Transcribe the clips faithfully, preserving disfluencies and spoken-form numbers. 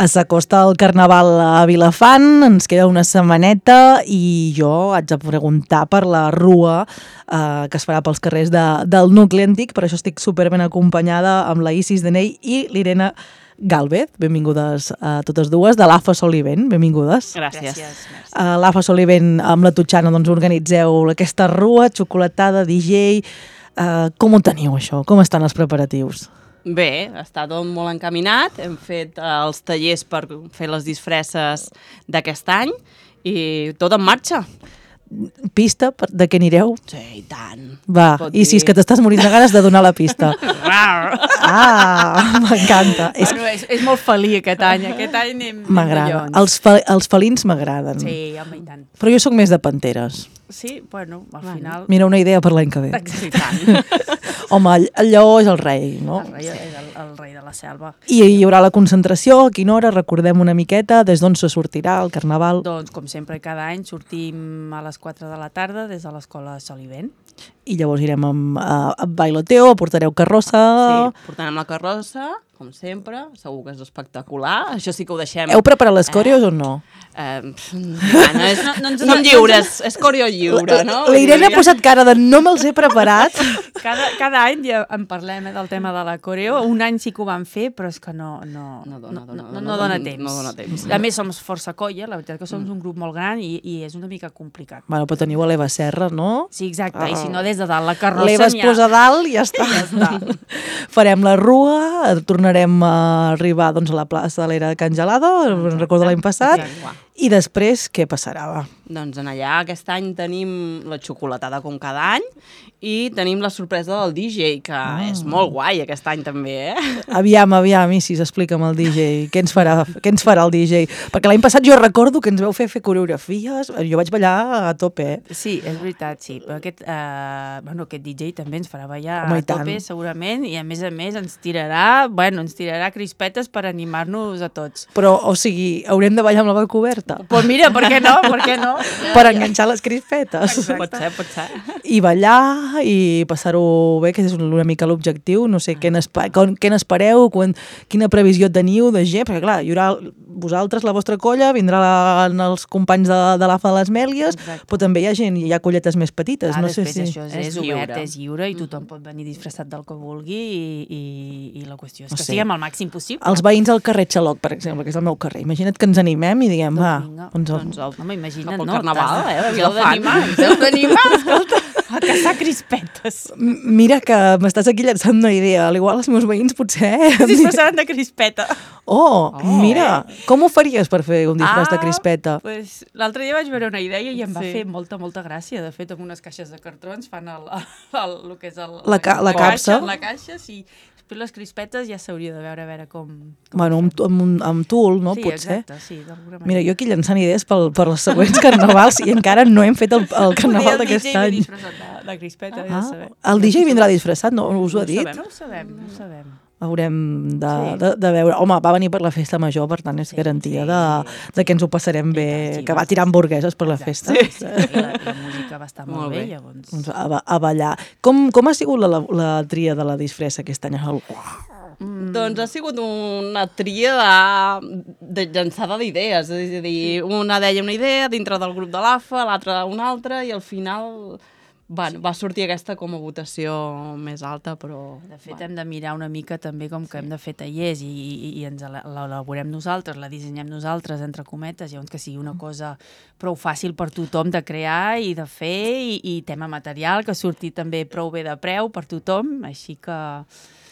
S'acosta el Carnaval a Vilafant, ens queda una setmaneta i jo haig de preguntar per la rua eh, que es farà pels carrers de, del nucli antic, per això estic superben acompanyada amb la Isis Deney i l'Irene Gálvez. Benvingudes a totes dues, de l'A F A Solivent, benvingudes. Gràcies. Gràcies. A l'A F A Solivent amb la Tutxana doncs, organitzeu aquesta rua, xocolatada, D J... Eh, com ho teniu això? Com estan els preparatius? Bé, està tot molt encaminat, hem fet eh, els tallers per fer les disfresses d'aquest any i tot en marxa. Pista per, de què anireu? Sí, i tant. Va, i si és que t'estàs morint de ganes de donar la pista. Ah, m'encanta. És... Bueno, és, és molt felí aquest any, aquest any anem M'agrada. Els, fe, els felins m'agraden. Sí, home, i tant. Però jo sóc més de panteres. Sí, bueno, al bueno. final... Mira, una idea per l'any que ve. Sí, tant. Home, el, el lleó és el rei, no? El rei és el, el rei de la selva. I hi haurà la concentració, a quina hora? Recordem una miqueta, des d'on se sortirà el Carnaval? Doncs, com sempre, cada any sortim a les quatre de la tarda des de l'escola Solivent. I llavors irem amb, uh, amb bailoteo, portareu carrossa... Sí, portarem la carrossa, com sempre, segur que és espectacular, això sí que ho deixem... Heu preparat les coreos eh? o no? Eh, bueno, és, no, no, ens, som lliures, és coreo lliure, no? La Irene ha posat cara de no me'ls he preparat. Cada, cada any ja en parlem eh, del tema de la coreo. Un any sí que ho vam fer, però és que no, no, no, dona, no, no, no, no, no dona temps. No dona temps. A més, som força colla, la veritat que som un grup molt gran i, i és una mica complicat. Bueno, però teniu a l'Eva Serra, no? Sí, exacte, Ah. i si no des de dalt la carrossa L'Eva es n'hi ha... posa a dalt i ja està. Ja està. Farem la rua, tornarem a arribar doncs, a la plaça de l'Era de Can Gelado, recordo l'any passat, Exacte. i després què passarà? Va? Doncs en allà aquest any tenim la xocolatada com cada any i tenim la sorpresa del D J, que ah. és molt guai aquest any també, eh? Aviam, aviam, Isis, explica'm el D J. Què ens farà, què ens farà el D J? Perquè l'any passat jo recordo que ens veu fer fer coreografies, jo vaig ballar a tope, eh? Sí, és veritat, sí. Però aquest, eh, bueno, aquest D J també ens farà ballar Home, a tope, segurament, i a més a més ens tirarà, bueno, ens tirarà crispetes per animar-nos a tots. Però, o sigui, haurem de ballar amb la boca oberta? Pues mira, per què no? Per què no? Per enganxar les crispetes. Exacte. Pot ser, pot ser. I ballar i passar-ho bé, que és una mica l'objectiu. No sé, què n'espereu, quina previsió teniu de gent, perquè clar, hi haurà vosaltres, la vostra colla, vindran els companys de, de l'A F A de les Mèlies, Exacte. però també hi ha gent, hi ha colletes més petites. Ah, no sé després si... això és, És és obert, lliure. és lliure, i tothom pot venir disfressat del que vulgui i, i, i la qüestió és No que sé. siguem al màxim possible. Els veïns al carrer Xaloc, per exemple, que és el meu carrer. Imagina't que ens animem i diguem, va, vinga. doncs, Doncs el, Home, imagina't, cap al no? Carnaval, T'has de- eh? de Us heu Vilafant. d'animar, us heu d'animar, escolta, a caçar crispetes. M- mira que m'estàs aquí llançant una idea. Al igual els meus veïns potser... Es disfressaran de crispeta. Oh, mira, com ho faries per fer un disfress de crispeta? Pues, l'altre dia vaig veure una idea i em va Sí. fer molta, molta gràcia. De fet, amb unes caixes de cartrons fan el, el, el que és el, La ca- la capsa. La caixa, sí. Després les crispetes ja s'hauria de veure a veure com... com Bueno, amb, amb, un- amb tul, no? sí, Potser. exacte, sí, d'alguna manera. Mira, jo aquí llançant idees pel, per les següents carnavals i encara no hem fet el, el carnaval d'aquest El D J ve any. disfressat de, de crispeta, ja Ah, sabem. el D J vindrà disfressat, no us ho ha No ho dit? sabem, no ho sabem, no ho sabem. Haurem de, Sí. de, de veure... Home, va venir per la festa major, per tant és Sí, garantia sí. de, de que ens ho passarem bé, tant, sí, que va sí, tirar sí. hamburgueses per la festa. Sí. I la, la música va estar molt, Molt bé, bé. llavors. Doncs a, ba- a ballar. Com, com ha sigut la, la, la tria de la disfressa aquest any? El... Mm. Doncs ha sigut una tria de, de llançada d'idees, és a dir, una deia una idea dintre del grup de l'A F A, l'altra una altra, i al final va, va sortir aquesta com a votació més alta, però... De fet, hem de mirar una mica també com que hem de fer tallers i, i, i ens la- l'elaborem nosaltres, la dissenyem nosaltres, entre cometes, llavors que sigui una cosa prou fàcil per tothom de crear i de fer, i, i tema material, que surti també prou bé de preu per tothom, així que...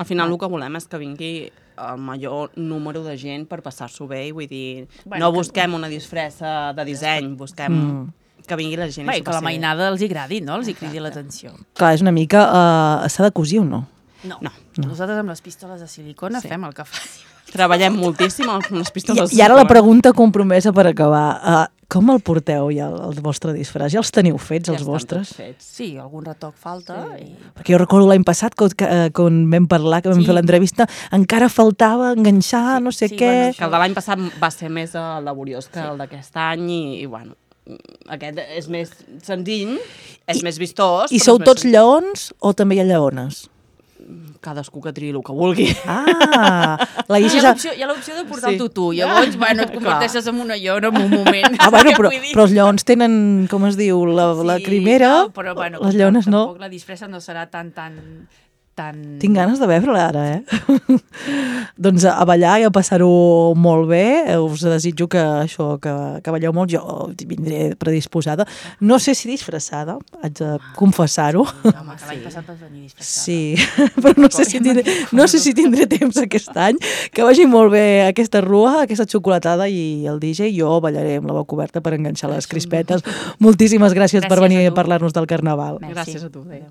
Al final el que volem és que vingui el major número de gent per passar-s'ho bé, i vull dir, Bueno, no que- busquem una disfressa de disseny, busquem Mm. que vingui la gent. i Bé, s'ho que la passi bé. mainada els hi agradi, no? Els hi cridi l'atenció. Clar, és una mica... Uh, s'ha de cosir o no? No. No. Nosaltres amb les pistoles de silicona Sí. fem el que faci. Treballem moltíssim amb les I, pistoles. I ara la pregunta compromesa per acabar. Uh, com el porteu ja, el, el vostre disfress? Ja els teniu fets, Ja els estan vostres? tots fets. Sí, algun retoc falta. Sí. I... Perquè jo recordo l'any passat, quan, que, quan vam parlar, que vam Sí. fer l'entrevista, encara faltava enganxar, Sí, no sé sí, què... bueno, Que el de l'any passat va ser més eh, laboriós que el d'aquest any, i, i bueno, aquest és més senzill, és I- més vistós. I però sou és més tots senzill. lleons o també hi ha lleones? cadascú que triï el que vulgui. Ah, la Hi Isis... ha ha- l'opció hi ha l'opció de portar el Sí. tutú, llavors, bueno, et converteixes en una llona en un moment. Ah, bueno, Què però, vull dir? però els lleons tenen, com es diu, la, la Sí, crimera, no, però, bueno, les com lleones tam- no. Tampoc la disfressa no serà tan, tan, tan... Tinc ganes de veure-la ara, eh? Doncs a ballar i a passar-ho molt bé. Us desitjo que això, que, que balleu molt. Jo vindré predisposada. No sé si disfressada, haig de confessar-ho. Home, que l'any passat vas venir disfressada. Sí, però no sé, si tindré, no sé si tindré temps aquest any. Que vagi molt bé aquesta rua, aquesta xocolatada i el D J. Jo ballaré amb la boca oberta per enganxar les crispetes. Moltíssimes gràcies, Gràcies per venir a a tu. parlar-nos del Carnaval. Merci. Gràcies a tu. Adéu.